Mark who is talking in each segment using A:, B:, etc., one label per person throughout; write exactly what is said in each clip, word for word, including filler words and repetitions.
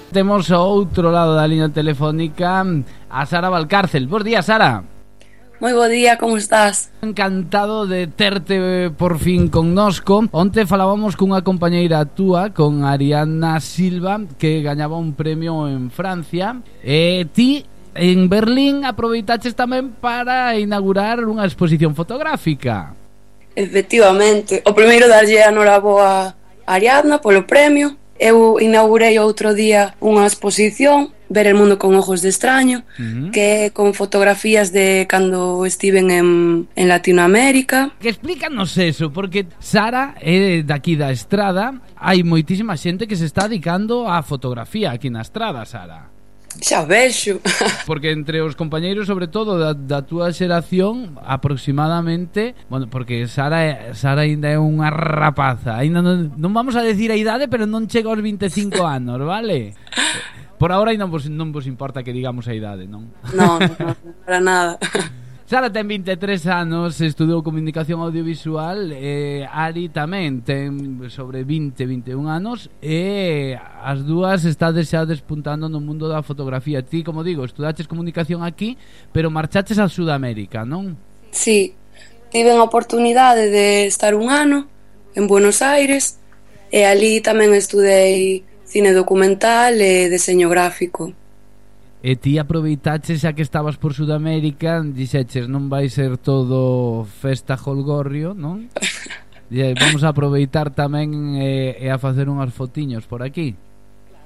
A: Temos ao outro lado da liña telefónica a Sara Valcárcel. Bos días, Sara.
B: Moi bo día, como estás?
A: Encantado de terte por fin connosco. Onte falábamos cunha compañeira túa, con Ariana Silva, que gañaba un premio en Francia. E ti, en Berlín, aproveitaches tamén para inaugurar unha exposición fotográfica.
B: Efectivamente. O primeiro darlle a noraboa a Ariadna polo premio. Eu inaugurei outro día unha exposición, Ver el mundo con ojos de extraño, uh-huh. que é con fotografías de cando estiven en, en Latinoamérica.
A: Que explícanos eso, porque Sara é daqui da Estrada. Hai moitísima xente que se está dedicando á fotografía aquí na Estrada, Sara.
B: Xa vexo.
A: Porque entre os compañeiros, sobre todo da, da túa xeración, aproximadamente, bueno, porque Sara Sara aínda é unha rapaza, aínda non, non vamos a decir a idade, pero non chega aos vinte e cinco anos, vale? Por agora non vos, non vos importa que digamos a idade, non?
B: Non, non, para nada.
A: Sara ten vinte e tres anos, estudou comunicación audiovisual, e Ari tamén ten sobre vinte, vinte e un anos, e as dúas estades xa despuntando no mundo da fotografía. Ti, como digo, estudaches comunicación aquí, pero marchaches a Sudamérica, non?
B: Sí, tive a oportunidade de estar un ano en Buenos Aires, e ali tamén estudei cine documental e deseño gráfico.
A: E ti aproveitaches xa que estabas por Sudamérica, dixeches non vai ser todo festa jolgorrio, non? E vamos a aproveitar tamén e, e a facer unhas fotiños por aquí.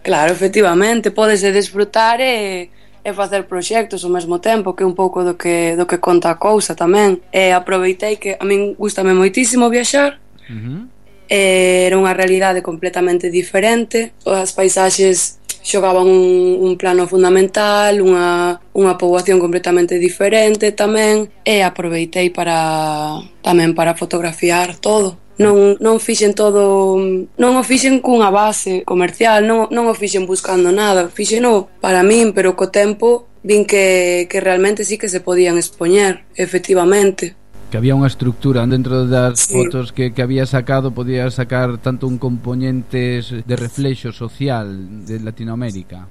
B: Claro, efectivamente, pódese desfrutar e, e facer proxectos ao mesmo tempo, que é un pouco do que, do que conta a cousa tamén. E aproveitei que a min gustame moitísimo viaxar, uh-huh. e era unha realidade completamente diferente, as paisaxes xogaban un, un plano fundamental, unha, unha poboación completamente diferente tamén, e aproveitei para tamén para fotografiar todo. Non, non fixen todo, non o fixen cunha base comercial, non, non o fixen buscando nada, fixeno para min, pero co tempo vin que, que realmente sí que se podían expoñer, efectivamente.
A: Que había unha estructura dentro das
B: sí.
A: fotos que, que había sacado, podía sacar tanto un componente de reflexo social de Latinoamérica.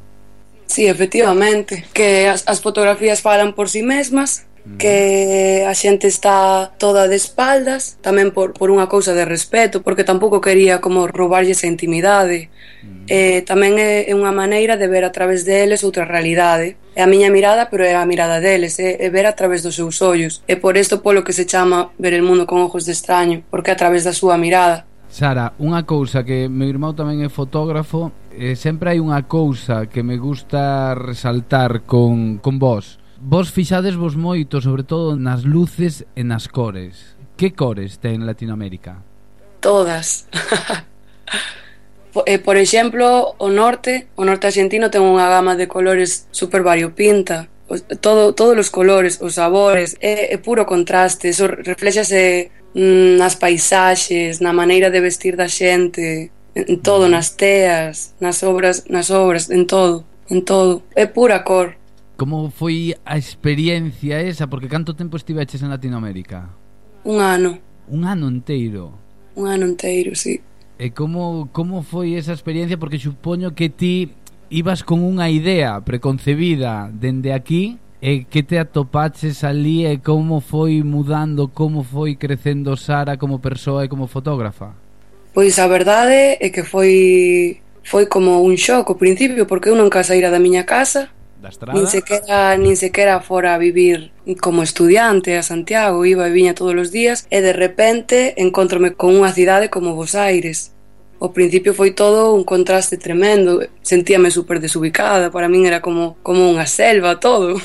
B: Sí, efectivamente, que as, as fotografías falan por si mesmas, mm. que a xente está toda de espaldas, tamén por, por unha cousa de respeto, porque tampouco quería como roubarlle esa intimidade. Mm. Eh, tamén é, é unha maneira de ver a través deles outra realidade. É a miña mirada, pero é a mirada deles, é, é ver a través dos seus ollos. É por isto polo que se chama Ver el mundo con ojos de extraño, porque é a través da súa mirada.
A: Sara, unha cousa que meu irmão tamén é fotógrafo, e sempre hai unha cousa que me gusta resaltar con, con vos. Vos fixades vos moito, sobre todo nas luces e nas cores. Que cores ten Latinoamérica?
B: Todas. Eh, por exemplo, o norte, o norte argentino ten unha gama de colores super variopinta, todo, todos os colores, os sabores, é, é puro contraste, eso reflexase mm, nas paisaxes, na maneira de vestir da xente, en todo, nas teas, nas obras, nas obras, en todo, en todo, é pura cor.
A: Como foi a experiencia esa? Porque canto tempo estiveches en Latinoamérica?
B: Un ano.
A: Un ano inteiro?
B: Un ano inteiro, sí.
A: E como, como foi esa experiencia? Porque supoño que ti ibas con unha idea preconcebida dende aquí, e que te atopaches ali, e como foi mudando, como foi crecendo Sara como persoa e como fotógrafa?
B: Pois a verdade é que foi foi como un shock ao principio, porque eu nunca saíra da miña casa,
A: da Estrada,
B: nin sequera, nin sequera fora a vivir como estudiante a Santiago, iba e viña todos os días, e de repente encontrome con unha cidade como Bos Aires. Ao principio foi todo un contraste tremendo, sentíame super desubicada, para min era como, como unha selva todo,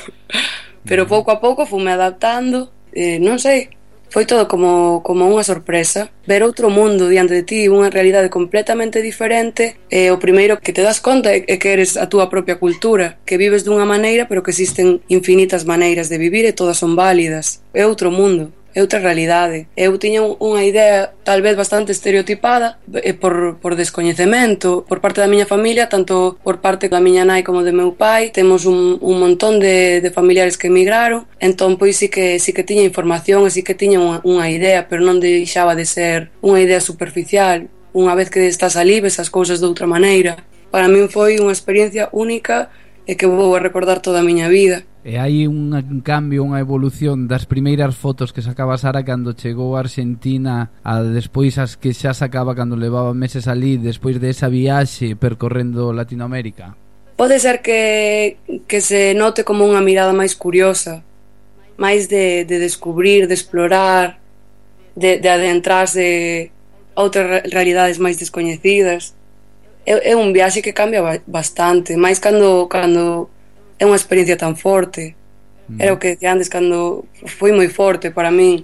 B: pero pouco a pouco fume adaptando, eh, non sei, foi todo como, como unha sorpresa, ver outro mundo diante de ti, unha realidade completamente diferente, e o primeiro que te das conta é que eres a túa propia cultura, que vives dunha maneira, pero que existen infinitas maneiras de vivir e todas son válidas, é outro mundo. É outra realidade. Eu tiña unha idea tal vez bastante estereotipada por, por descoñecemento por parte da miña familia, tanto por parte da miña nai como do meu pai. Temos un, un montón de, de familiares que emigraron, entón pois sí que, sí que tiña información e sí que tiña unha, unha idea, pero non deixaba de ser unha idea superficial. Unha vez que estás ali ves as cousas de outra maneira. Para min foi unha experiencia única e que vou a recordar toda a miña vida.
A: E hai un, un cambio, unha evolución das primeiras fotos que sacaba Sara cando chegou a Argentina a despois as que xa sacaba cando levaba meses ali despois de esa viaxe percorrendo Latinoamérica?
B: Pode ser que, que se note como unha mirada máis curiosa, máis de, de descubrir, de explorar, de, de adentrarse a outras realidades máis descoñecidas. É, é un viaxe que cambia bastante, máis cando, cando é unha experiencia tan forte. Mm. Era o que decía antes, cando foi moi forte para min,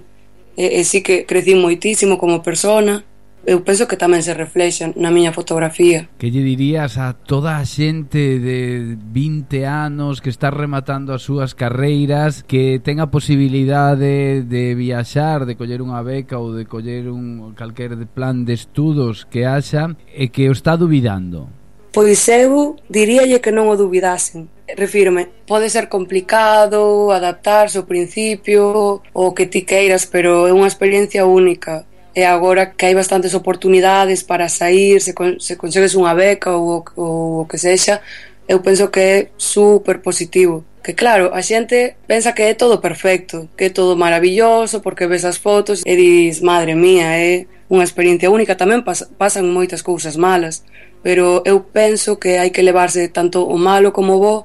B: e, e sí que crecí moitísimo como persona. Eu penso que tamén se reflexa na miña fotografía.
A: Que lle dirías a toda a xente de vinte anos que está rematando as súas carreiras, que ten a posibilidade de viaxar, de coller unha beca ou de coller un calquer plan de estudos que haxa e que o está dubidando?
B: Pois eu diríalle que non o dubidasen. Refírome, pode ser complicado adaptarse ao principio ou que ti queiras, pero é unha experiencia única. E agora que hai bastantes oportunidades para sair, se, con, se consegues unha beca ou, ou o que sexa, eu penso que é super positivo. Que claro, a xente pensa que é todo perfecto, que é todo maravilloso, porque ves as fotos e dis, madre mía, é unha experiencia única. Tamén pas, pasan moitas cousas malas, pero eu penso que hai que levarse tanto o malo como o bo,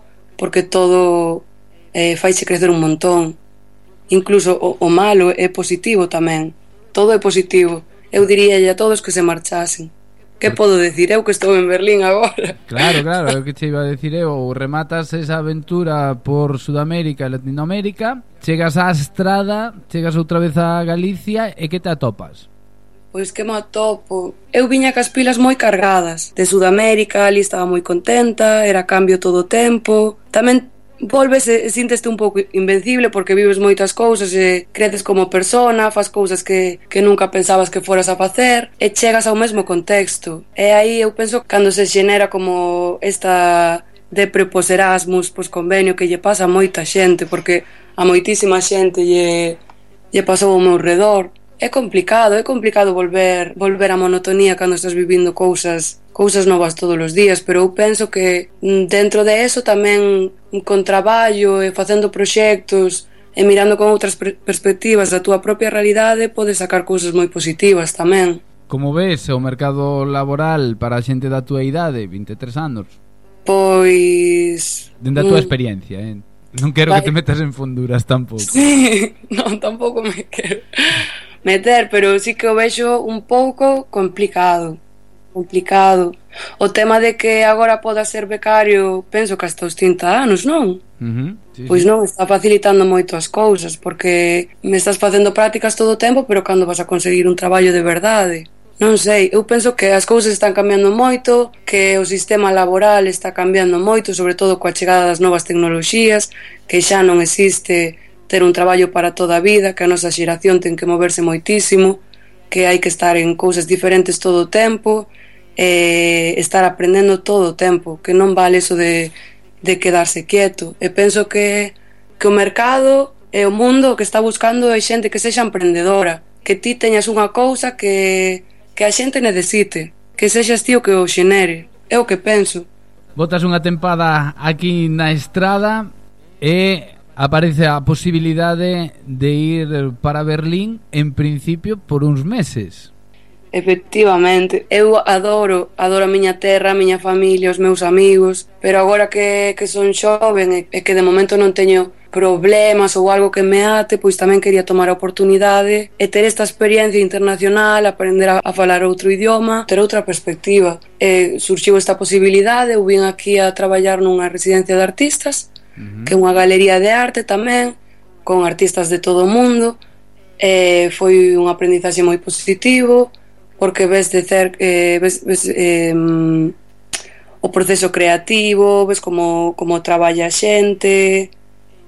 B: porque todo eh, faixe crecer un montón. Incluso o, o malo é positivo tamén. Todo é positivo. Eu diríalle a todos que se marchasen. Que podo decir eu que estou en Berlín agora?
A: Claro, claro, é o que che iba a decir eu. Rematas esa aventura por Sudamérica e Latinoamérica, chegas á Estrada, chegas outra vez a Galicia e que te atopas?
B: Pois que me atopo. Eu viña cas pilas moi cargadas. De Sudamérica, ali estaba moi contenta, era cambio todo o tempo. Tamén volves e sínteste un pouco invencible porque vives moitas cousas e creces como persona, fas cousas que, que nunca pensabas que foras a facer e chegas ao mesmo contexto. E aí eu penso cando se xenera como esta de prepos Erasmus, pois convenio que lle pasa a moita xente, porque a moitísima xente lle, lle pasou ao meu redor. É complicado, é complicado volver volver á monotonía cando estás vivindo cousas cousas novas todos os días, pero eu penso que dentro de eso tamén con traballo e facendo proxectos e mirando con outras perspectivas da túa propia realidade podes sacar cousas moi positivas tamén.
A: Como ves o mercado laboral para a xente da túa idade, vinte e tres anos?
B: Pois...
A: Dende a túa experiencia, eh? Non quero vale. Que te metas en funduras tampouco.
B: Sí, non, tampouco me quero meter, pero sí que o vexo un pouco complicado complicado o tema de que agora poda ser becario, penso que hasta os trinta anos, non?
A: Uh-huh, sí,
B: pois
A: sí.
B: Non, está facilitando moito as cousas porque me estás facendo prácticas todo o tempo, pero cando vas a conseguir un traballo de verdade? Non sei, eu penso que as cousas están cambiando moito, que o sistema laboral está cambiando moito, sobre todo coa chegada das novas tecnoloxías, que xa non existe ter un traballo para toda a vida, que a nosa xeración ten que moverse moitísimo, que hai que estar en cousas diferentes todo o tempo, e estar aprendendo todo o tempo, que non vale eso de, de quedarse quieto. E penso que, que o mercado e o mundo que está buscando é xente que sexa emprendedora, que ti teñas unha cousa que, que a xente necesite, que sexas ti o que o xenere. É o que penso.
A: Botas unha tempada aquí na Estrada e aparece a posibilidade de ir para Berlín en principio por uns meses.
B: Efectivamente, eu adoro, adoro a miña terra, a miña familia, os meus amigos, pero agora que, que son xoven e que de momento non teño problemas ou algo que me ate, pois tamén quería tomar a oportunidade e ter esta experiencia internacional, aprender a, a falar outro idioma, ter outra perspectiva. E surxiu esta posibilidade, eu vim aquí a traballar nunha residencia de artistas, uh-huh. que é unha galería de arte tamén, con artistas de todo o mundo, e foi un aprendizaxe moi positivo, porque ves de cerca, eh, ves, ves eh, o proceso creativo, ves como, como traballa a xente,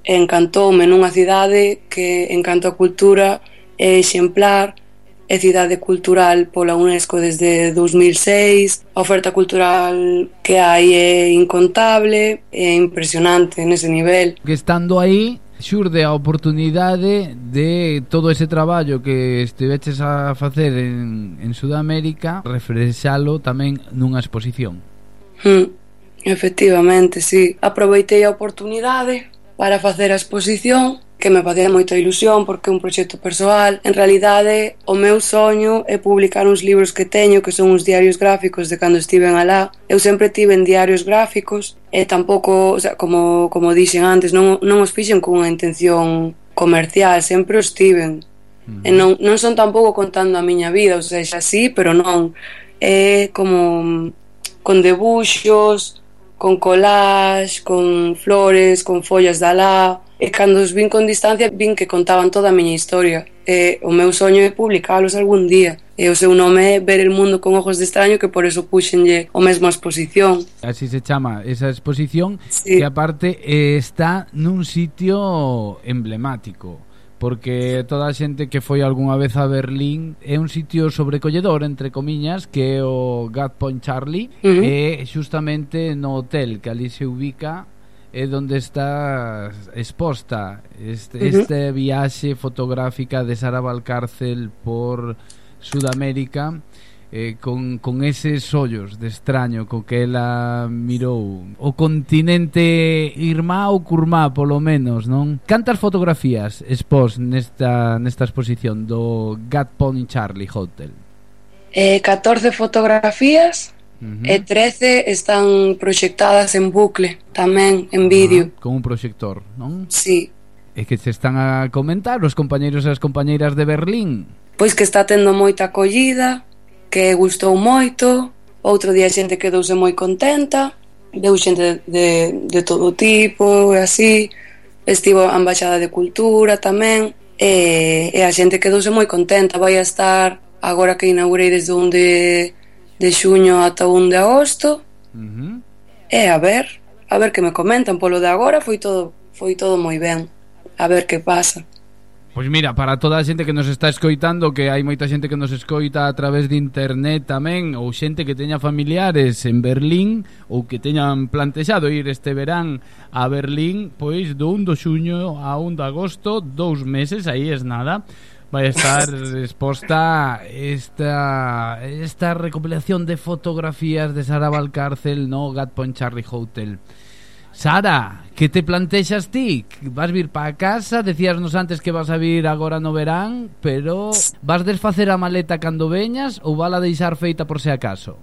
B: e encantoume nunha cidade que en canto a cultura é exemplar, é cidade cultural pola UNESCO desde dous mil seis, a oferta cultural que hai é incontable, é impresionante nese nivel.
A: Que estando aí xurde a oportunidade de todo ese traballo que estiveches a facer en, en Sudamérica refrexalo tamén nunha exposición.
B: Mm, efectivamente, sí. Aproveitei a oportunidade para facer a exposición, que me facía moita ilusión porque é un proxecto persoal. En realidade, o meu soño é publicar uns libros que teño, que son uns diarios gráficos de cando estiven alá. Eu sempre tiven diarios gráficos e tampouco, o sea, como, como dixen antes, non, non os fixen con unha intención comercial, sempre os tiven. Uh-huh. E non, non son tampouco contando a miña vida, ou seja, sí, pero non. É como con debuxos, con collage, con flores, con follas de alá. E cando os vin con distancia, vin que contaban toda a miña historia. E o meu soño é publicalos algún día. E o seu nome é Ver el mundo con ojos de extraño, que por eso puxenlle o mesmo a exposición.
A: Así se chama esa exposición,
B: sí.
A: Que aparte eh, está nun sitio emblemático, porque toda a xente que foi algunha vez a Berlín é un sitio sobrecolledor, entre comiñas, que é o Gat Point Charlie, uh-huh. E xustamente no hotel que ali se ubica é onde está exposta este, uh-huh. este viaxe fotográfica de Sara Valcárcel por Sudamérica, eh, con, con eses ollos de extraño co que ela mirou o continente irmá ou curmá, polo menos, non? Cantas fotografías expós nesta, nesta exposición do Gat Point Charlie Hotel?
B: Eh, catorce fotografías. Uh-huh. E trece están proxectadas en bucle, tamén en vídeo.
A: Ah, con un proxector, non?
B: Sí.
A: E que se están a comentar os compañeiros e as compañeiras de Berlín?
B: Pois que está tendo moita acollida, que gustou moito. Outro día a xente quedouse moi contenta, deu xente de, de, de todo tipo e así. Estivo a Embaixada de Cultura tamén, e, e a xente quedouse moi contenta. Vai a estar agora que inaugurei desde onde de xuño ata un de agosto. Uh-huh. E a ver, a ver que me comentan. Polo de agora foi todo foi todo moi ben. A ver que pasa.
A: Pois mira, para toda a xente que nos está escoitando, que hai moita xente que nos escoita a través de internet tamén, ou xente que teña familiares en Berlín ou que teñan plantexado ir este verán a Berlín, pois do un de xuño a un de agosto, dous meses, aí es nada. Vai estar exposta esta esta recopilación de fotografías de Sara Valcárcel no Gat Point Charlie Hotel. Sara, que te plantexas ti? Vas vir para casa? Decíasnos antes que vas a vir agora no verán, pero vas desfacer a maleta cando veñas ou vala deixar feita por se acaso?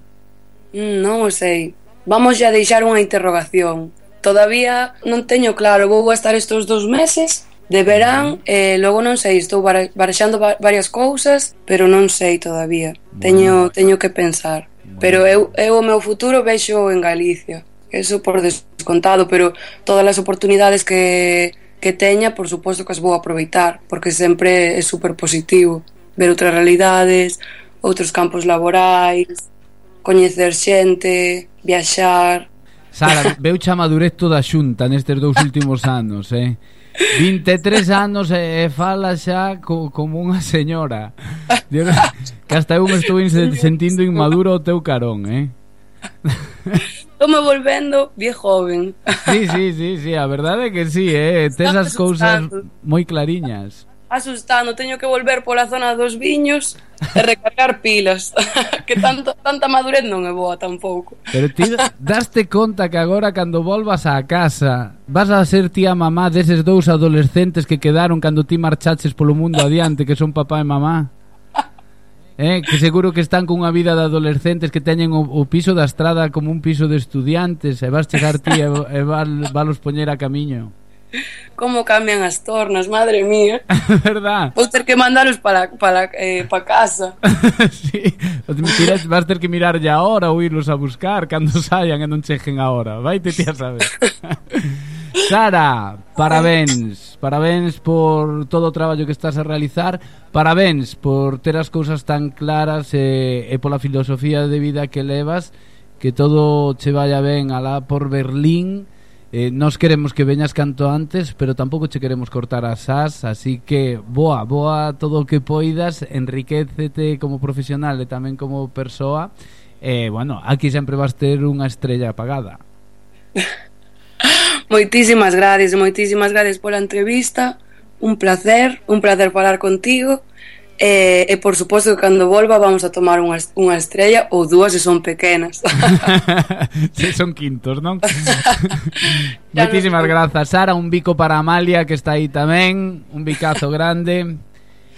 B: Non o sei. Vamos a deixar unha interrogación. Todavía non teño claro, vou a estar estes dous meses de verán, e eh, logo non sei, estou barexando varias cousas, pero non sei todavía. Bueno, teño teño que pensar. Bueno. Pero eu, eu o meu futuro vexo en Galicia. Eso por descontado, pero todas as oportunidades que, que teña, por suposto que as vou aproveitar, porque sempre é super positivo ver outras realidades, outros campos laborais, coñecer xente, viaxar.
A: Sara, veuche a madurez toda xunta nestes dous últimos anos, eh? vinte e tres anos e, e fala xa co, como unha señora. Dios, que hasta eu me estou sentindo inmaduro ao teu carón, eh?
B: Estou me volvendo bien joven.
A: Sí, sí, sí, sí, a verdade é que sí, eh? Tes as cousas moi clariñas.
B: Asustando, teño que volver pola zona dos viños e recargar pilas. Que tanto, tanta madurez non é boa tampouco.
A: Pero ti daste conta que agora cando volvas á casa vas a ser tía mamá deses dous adolescentes que quedaron cando ti marchaches polo mundo adiante, que son papá e mamá? Eh, que seguro que están cunha vida de adolescentes que teñen o, o piso da estrada como un piso de estudiantes, e vas chegar ti e, e val, valos poñer a camiño.
B: Como cambian as tornas, madre mía.
A: Verdad.
B: Vou ter que mandaros para, para, eh, para casa.
A: Sí, vas ter que mirar ya ahora ou irlos a buscar cando saian e non cheguen ahora. Vaite ti a saber. Sara, parabéns. Parabéns por todo o traballo que estás a realizar. Parabéns por ter as cousas tan claras e, e pola filosofía de vida que levas. Que todo che vaya ben alá por Berlín. Eh, nos queremos que veñas canto antes, pero tampouco che queremos cortar as as, así que boa, boa todo o que poidas, enriquécete como profesional e tamén como persoa. E, eh, bueno, aquí sempre vas ter unha estrella apagada.
B: Moitísimas gracias, moitísimas gracias pola entrevista. Un placer, un placer falar contigo. E, e por suposto que cando volva vamos a tomar unha, unha estrella ou dúas se son pequenas.
A: Se son quintos, non? Moitísimas grazas, Sara. Un bico para Amalia, que está aí tamén. Un bicazo grande.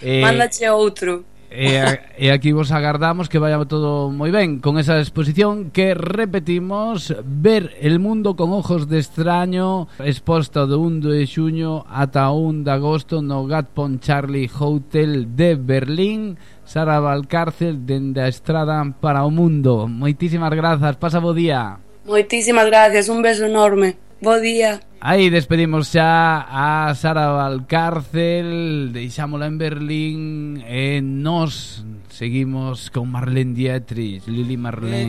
B: eh, Mándache outro.
A: E, e aquí vos agardamos que vaya todo moi ben con esa exposición que repetimos, Ver el mundo con ojos de extraño, exposta do un de xuño ata un de agosto no Gatpon Charlie Hotel de Berlín. Sara Valcárcel, dende a estrada para o mundo. Moitísimas grazas, pasa bo día.
B: Moitísimas gracias, un beso enorme. Bo día.
A: Aí despedimos xa a Sara Valcárcel, deixámola en Berlín e nos seguimos con Marlene Dietrich, Lili Marlene.